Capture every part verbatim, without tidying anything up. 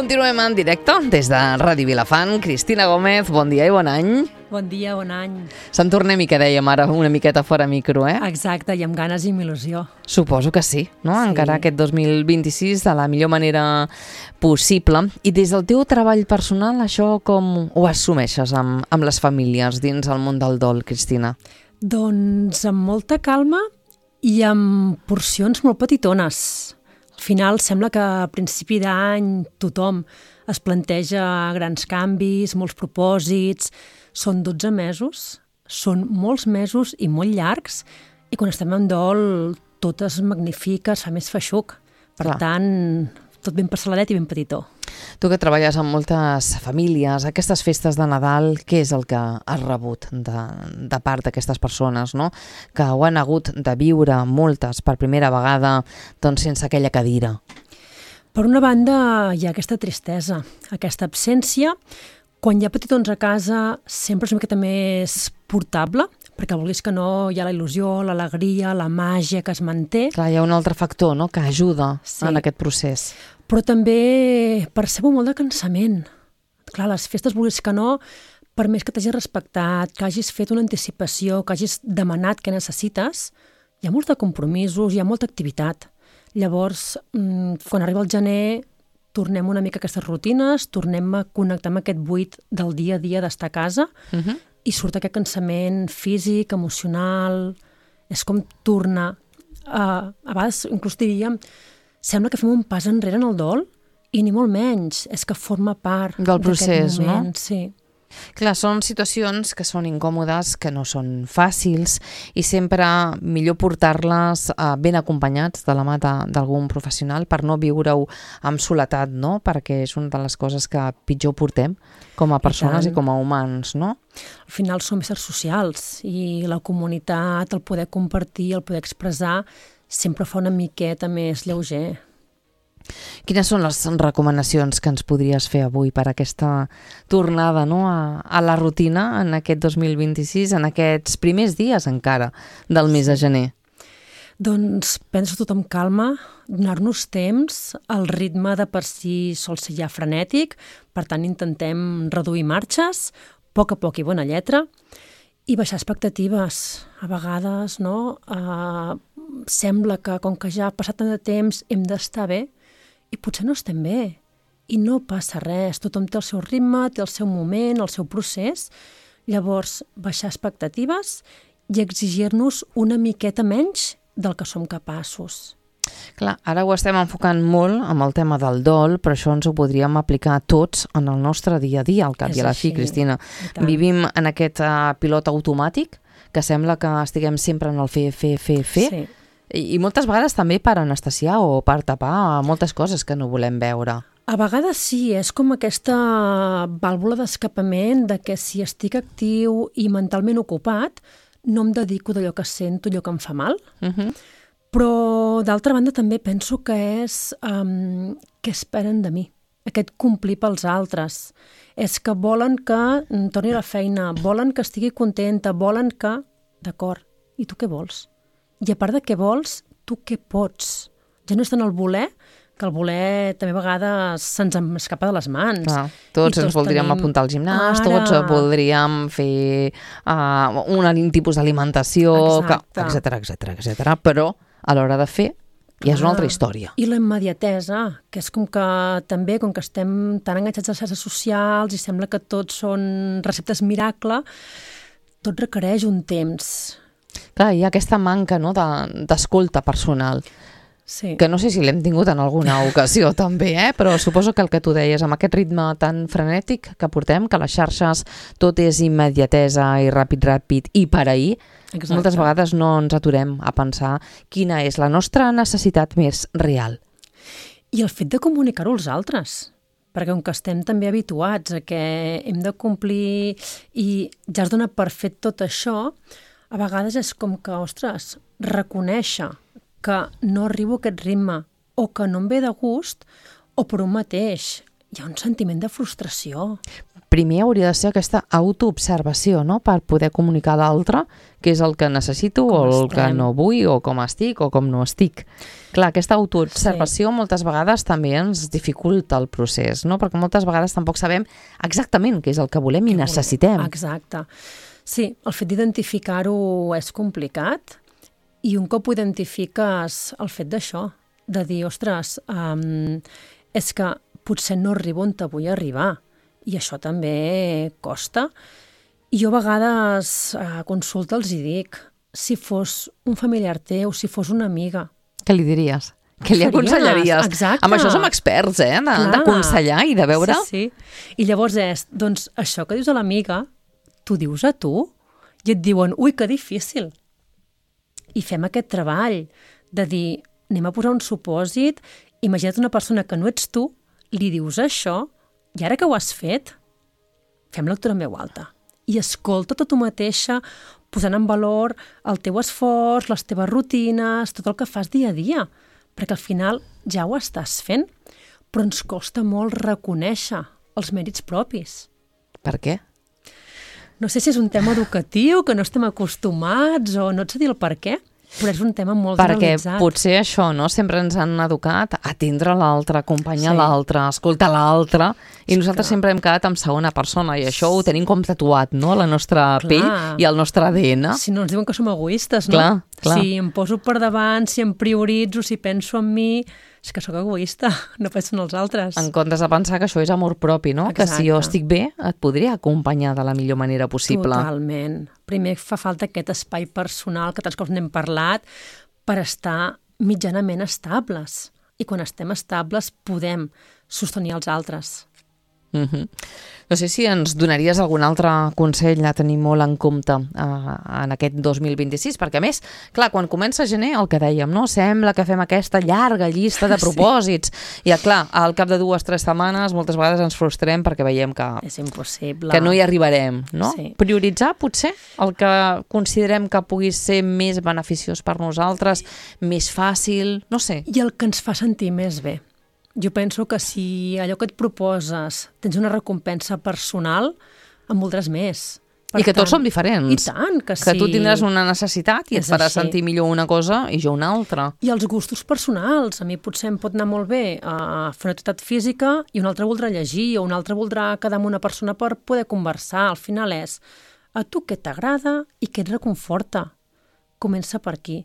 Continuem en directe des de Ràdio Vilafant. Cristina Gómez, bon dia i bon any. Bon dia, bon any. Se'n tornem i que dèiem ara una miqueta fora micro, eh? Exacte, i amb ganes i amb il·lusió. Suposo que sí, no? Sí. Encara aquest dos mil vint-i-sis de la millor manera possible. I des del teu treball personal, això com ho assumeixes amb, amb les famílies dins el món del dol, Cristina? Doncs amb molta calma i amb porcions molt petitones. Al final sembla que a principi d'any tothom es planteja grans canvis, molts propòsits. Són dotze mesos, són molts mesos i molt llargs, i quan estem en dol tot es magnifica, es fa més feixuc. Per Clar. tant, tot ben parcel·ladet i ben petitó. Tu que treballes amb moltes famílies, aquestes festes de Nadal, què és el que has rebut de, de part d'aquestes persones, no? Que ho han hagut de viure moltes per primera vegada, doncs sense aquella cadira? Per una banda, hi ha aquesta tristesa, aquesta absència. Quan hi ha petitons a casa, sempre és una miqueta més portable, perquè vulguis que no, hi ha la il·lusió, l'alegria, la màgia que es manté. Clar, hi ha un altre factor, no?, que ajuda Sí. en aquest procés. Però també percebo molt de cansament. Clar, les festes, vulguis que no, per més que t'hagis respectat, que hagis fet una anticipació, que hagis demanat què necessites, hi ha molts de compromisos, hi ha molta activitat. Llavors, quan arriba el gener, tornem una mica a aquestes rutines, tornem a connectar amb aquest buit del dia a dia d'estar a casa, Uh -huh. i surt aquest cansament físic, emocional. És com tornar a, a vegades, inclús diríem, sembla que fem un pas enrere en el dol, i ni molt menys, és que forma part Del procés, d'aquest moment, no? Sí. Clar, són situacions que són incòmodes, que no són fàcils, i sempre millor portar-les eh, ben acompanyats de la mà de- d'algun professional per no viure-ho amb soledat, no? Perquè és una de les coses que pitjor portem com a persones i, tant. com a humans, no? Al final som éssers socials, i la comunitat, el poder compartir, el poder expressar, sempre fa una miqueta més lleuger. Quines són les recomanacions que ens podries fer avui per aquesta tornada, no?, a, a la rutina en aquest dos mil vint-i-sis, en aquests primers dies encara del mes de gener? Doncs pensa tot amb calma, donar-nos temps. El ritme de per si sol ser ja frenètic, per tant intentem reduir marxes, a poc a poc i bona lletra, i baixar expectatives. A vegades, no?, eh, sembla que com que ja ha passat tant de temps hem d'estar bé, i potser no estem bé, i no passa res. Tothom té el seu ritme, té el seu moment, el seu procés. Llavors, baixar expectatives i exigir-nos una miqueta menys del que som capaços. Clar, ara ho estem enfocant molt amb el tema del dol, però això ens ho podríem aplicar tots en el nostre dia a dia, al cap És i a la fi, així, Cristina. i tant. Vivim en aquest uh, pilot automàtic, que sembla que estiguem sempre en el fer, fer, fer, fer, Sí. i, i moltes vegades també per anestesiar o per tapar moltes coses que no volem veure. A vegades sí, és com aquesta vàlvula d'escapament de que si estic actiu i mentalment ocupat, no em dedico d'allò que sento, allò que em fa mal. Uh -huh. Però, d'altra banda, també penso que és um, què esperen de mi, aquest complir pels altres. És que volen que em torni a la feina, volen que estigui contenta, volen que... D'acord, i tu què vols? I a part de què vols, tu què pots? Ja no és tant el voler, que el voler també a vegades se'ns escapa de les mans. Clar, tots I ens voldríem tenim- apuntar al gimnàs, Ara. tots voldríem fer uh, un tipus d'alimentació, Exacte. etcètera, etcètera, etcètera, però a l'hora de fer ja és una altra Clar. història. I la immediatesa, que és com que també, com que estem tan enganxats a les xarxes socials i sembla que tots són receptes miracle, tot requereix un temps. Clar, hi ha aquesta manca, no, de- d'escolta personal, Sí. que no sé si l'hem tingut en alguna ocasió també, eh? Però suposo que el que tu deies, amb aquest ritme tan frenètic que portem, que les xarxes tot és immediatesa i ràpid, ràpid i per ahir, Exacte. moltes vegades no ens aturem a pensar quina és la nostra necessitat més real. I el fet de comunicar-ho als altres, perquè com que estem també habituats a que hem de complir i ja es dona per fet tot això, a vegades és com que, ostres, reconèixer que no arribo a aquest ritme o que no em ve de gust, o per un mateix. hi ha un sentiment de frustració. Primer hauria de ser aquesta autoobservació, no?, per poder comunicar a l'altre què és el que necessito Com o el estem. que no vull o com estic o com no estic. Clar, aquesta autoobservació sí. moltes vegades també ens dificulta el procés, no?, perquè moltes vegades tampoc sabem exactament què és el que volem i necessitem. Exacte. Sí, el fet d'identificar-ho és complicat i un cop ho identifiques el fet d'això, de dir, ostres, um, és que potser no arribo on te vull arribar. I això també costa. I jo a vegades a consulta els hi dic, si fos un familiar teu, si fos una amiga... Què li diries? Què li aconsellaries? Exacte. Amb això som experts, eh? D'aconsellar i de veure... Sí, sí. I llavors és, doncs, això que dius a l'amiga, t'ho dius a tu? I et diuen, ui, que difícil. I fem aquest treball de dir, anem a posar un supòsit, imagina't una persona que no ets tu, li dius això, i ara que ho has fet, fem lectura en veu alta. I escolta't a tu mateixa, posant en valor el teu esforç, les teves rutines, tot el que fas dia a dia. Perquè al final ja ho estàs fent, però ens costa molt reconèixer els mèrits propis. Per què? No sé si és un tema educatiu, que no estem acostumats, o no et sé dir el per què, però és un tema molt Perquè generalitzat. potser això, no? Sempre ens han educat a atendre l'altre, acompanyar Sí. l'altre, escoltar l'altre, i nosaltres clar. sempre hem quedat en segona persona, i això ho tenim com tatuat, no?, a la nostra Clar. pell i al nostre A D N. Si no ens diuen que som egoistes, no? Clar, clar. Si em poso per davant, si em prioritzo, si penso en mi, és que sóc egoista, no penso en els altres. En comptes de pensar que això és amor propi, no? Que si jo Exacte. estic bé, et podria acompanyar de la millor manera possible. Totalment. Primer fa falta aquest espai personal que tants cops n'hem parlat per estar mitjanament estables. I quan estem estables podem sostenir els altres. Uh-huh. No sé si ens donaries algun altre consell a tenir molt en compte uh, en aquest dos mil vint-i-sis, perquè a més, clar, quan comença gener, el que dèiem, no? Sembla que fem aquesta llarga llista de propòsits, sí. I clar, al cap de dues o tres setmanes moltes vegades ens frustrem perquè veiem que, És impossible. que no hi arribarem, no? Sí. Prioritzar, potser, el que considerem que pugui ser més beneficiós per nosaltres, més fàcil, no sé. I el que ens fa sentir més bé. Jo penso que si allò que et proposes tens una recompensa personal, en voldràs més. Per I que tant, tots som diferents. I tant, que sí. Que tu tindràs una necessitat i et És farà així. sentir millor una cosa i jo una altra. I els gustos personals. A mi potser em pot anar molt bé a fer una activitat física i un altre voldrà llegir o un altre voldrà quedar amb una persona per poder conversar. Al final és a tu què t'agrada i què et reconforta. Comença per aquí.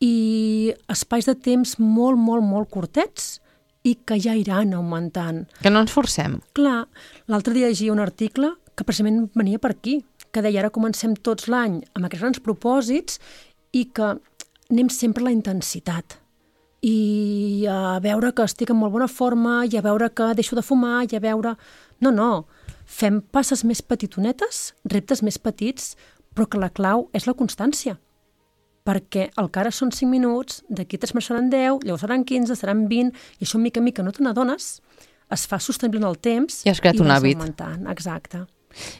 I espais de temps molt, molt, molt curtets i que ja iran augmentant. Que no ens forcem. Clar, l'altre dia llegia un article que precisament venia per aquí, que deia ara comencem tots l'any amb aquests grans propòsits i que anem sempre a la intensitat. I a veure que estic en molt bona forma, i a veure que deixo de fumar, i a veure... No, no, fem passes més petitonetes, reptes més petits, però que la clau és la constància. Perquè el que ara són cinc minuts, d'aquí tres mesos seran deu, llavors seran quinze, seran vint, i això mica en mica no te n'adones, es fa sostenible en el temps I has creat un vas hàbit. augmentant. Exacte.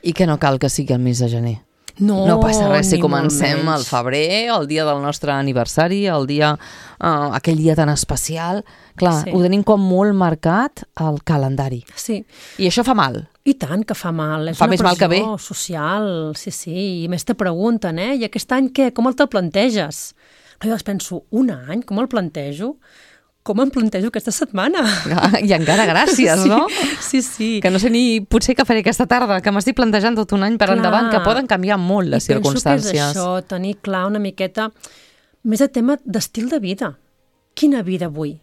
I que no cal que sigui el mes de gener. No, No passa res si ni comencem molt al menys. febrer, el dia del nostre aniversari, el dia, uh, aquell dia tan especial. Clar, Sí. ho tenim com molt marcat al calendari. Sí, I això fa mal. i tant que fa mal. És Fa una més mal que pressió bé. social, sí, sí. I més te pregunten, eh? I aquest any què? Com el te'l planteges? Jo penso, un any? Com el plantejo? Com em plantejo aquesta setmana? I encara gràcies, no? Sí, sí. Que no sé ni potser què faré aquesta tarda, que m'estic plantejant tot un any per Clar. endavant, que poden canviar molt les I penso circumstàncies. que és això, tenir clar una miqueta més de tema d'estil de vida. Quina vida vull?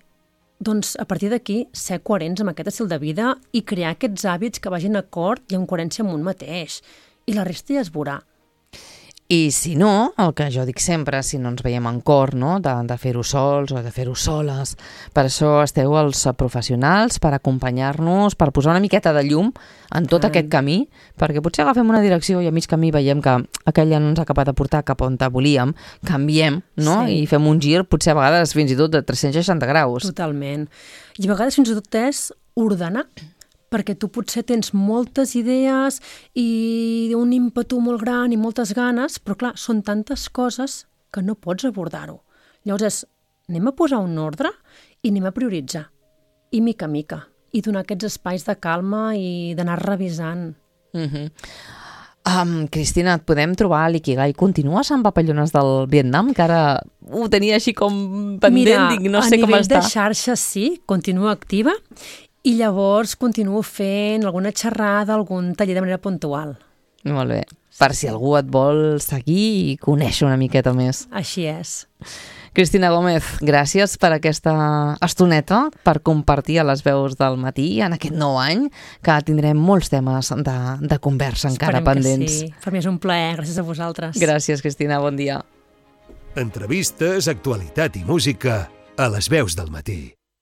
Doncs a partir d'aquí ser coherents amb aquest estil de vida i crear aquests hàbits que vagin acord i en coherència amb un mateix. I la resta ja es veurà. I si no, el que jo dic sempre, si no ens veiem en cor, no? de, de fer-ho sols o de fer-ho soles, per això esteu els professionals, per acompanyar-nos, per posar una miqueta de llum en tot Ai. aquest camí, perquè potser agafem una direcció i a mig camí veiem que aquella no ens ha acabat de portar cap on volíem, canviem, no? Sí. I fem un gir, potser a vegades fins i tot de tres-cents seixanta graus. Totalment. I a vegades fins i tot és ordenar, perquè tu potser tens moltes idees i un ímpetu molt gran i moltes ganes, però clar, són tantes coses que no pots abordar-ho. Llavors és, anem a posar un ordre i anem a prioritzar. I mica a mica. i donar aquests espais de calma i d'anar revisant. Uh-huh. Um, Cristina, et podem trobar a l'Ikigai? Continues amb Papallones del Vietnam, que ara ho tenia així com pendent, Mira, dic, no sé com està. a nivell de xarxa sí, continuo activa i llavors continuo fent alguna xerrada, algun taller de manera puntual. Molt bé, per si algú et vol seguir i conèixer una miqueta més. Així és. Cristina Gómez, gràcies per aquesta estoneta, per compartir a les veus del matí en aquest nou any, que tindrem molts temes de, de conversa encara Esperem pendents. que sí. Per mi és un plaer, gràcies a vosaltres. Gràcies, Cristina, bon dia. Entrevistes, actualitat i música a les veus del matí.